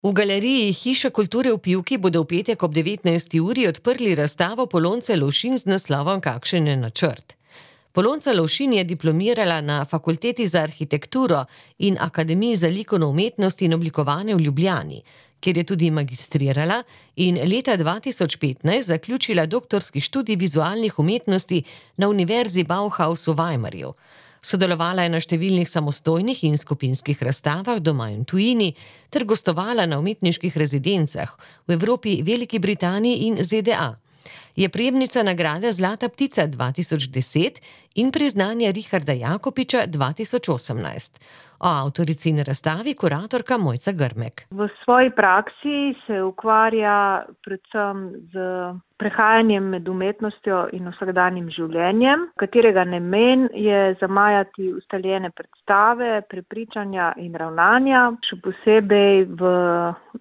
V galeriji Hiša kulture v Pivki bodo v petek ob 19. uri odprli razstavo Polonce Lovšin z naslovom Kakšen je načrt. Polonca Lovšin je diplomirala na Fakulteti za arhitekturo in Akademiji za likovno umetnost in oblikovanje v Ljubljani, kjer je tudi magistrirala in leta 2015 zaključila doktorski študij vizualnih umetnosti na Univerzi Bauhaus v Weimarju. Sodelovala je na številnih samostojnih in skupinskih razstavah doma in tujini ter gostovala na umetniških rezidencah v Evropi, Veliki Britaniji in ZDA. Je prejemnica nagrade Zlata ptica 2010 in priznanja Richarda Jakopiča 2018. O avtorici in razstavi kuratorka Mojca Grmek. V svoji praksi se ukvarja predvsem z prehajanjem med umetnostjo in vsakdanjim življenjem, katerega namen je zamajati ustaljene predstave, prepričanja in ravnanja, še posebej v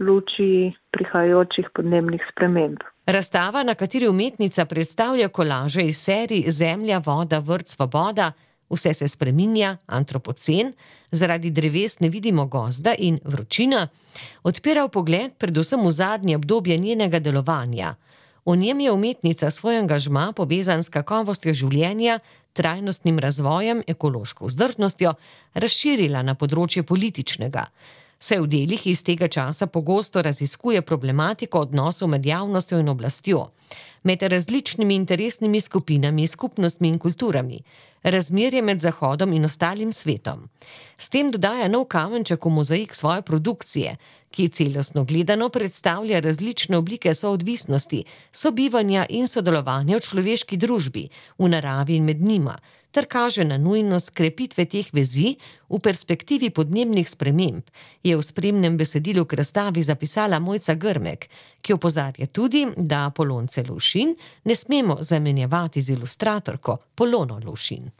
luči prihajajočih podnebnih sprememb. Razstava, na kateri umetnica predstavlja kolaže iz serij Zemlja, voda, vrt, svoboda, vse se spreminja, antropocen, zaradi dreves ne vidimo gozda in vročina, odpira pogled predvsem v zadnje obdobje njenega delovanja. V njem je umetnica svoj angažma povezan s kakovostjo življenja, trajnostnim razvojem, ekološko vzdržnostjo, razširila na področje političnega. Se v delih iz tega časa pogosto raziskuje problematiko odnosov med javnostjo in oblastjo, med različnimi interesnimi skupinami, skupnostmi in kulturami, razmerje med Zahodom in ostalim svetom. S tem dodaja nov kamenček v mozaik svoje produkcije, ki celostno gledano predstavlja različne oblike soodvisnosti, sobivanja in sodelovanja v človeški družbi, v naravi in med njima, ter kaže na nujnost krepitve teh vezi v perspektivi podnebnih sprememb, je v spremnem besedilu k razstavi zapisala Mojca Grmek, ki opozarja tudi, da Polonce Lovšin ne smemo zamenjevati z ilustratorko Polono Lovšin.